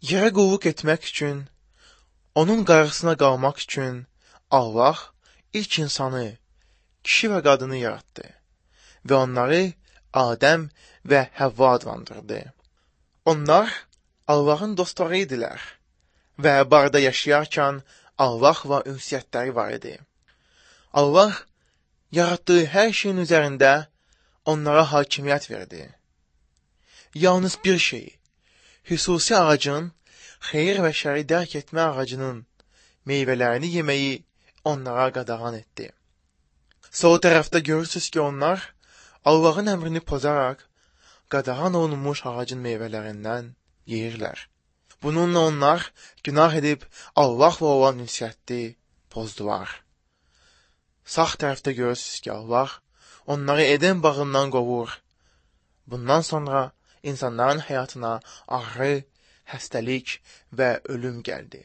Yerə qulluq etmək üçün, onun qarşısına qalmaq üçün Allah ilk insanı, kişi və qadını yaratdı və onları Adəm və Həvva adlandırdı. Onlar Allahın dostları idilər və barda yaşayarkən Allahla ünsiyyətləri var idi. Allah yaratdığı hər şeyin üzərində onlara hakimiyyət verdi. Yalnız bir şey, xüsusi ağacın, xeyir və şəri dərk etmə ağacının meyvələrini yeməyi onlara qadağan etdi. Sol tərəfdə görürsünüz ki, onlar Allahın əmrini pozaraq qadağan olunmuş ağacın meyvələrindən yeyirlər. Bununla onlar günah edib Allahla olan ünsiyyəti pozdular. Sağ tərəfdə görürsünüz ki, Allah onları Eden bağından qovur. Bundan sonra insanların həyatına ağrı, xəstəlik və ölüm gəldi.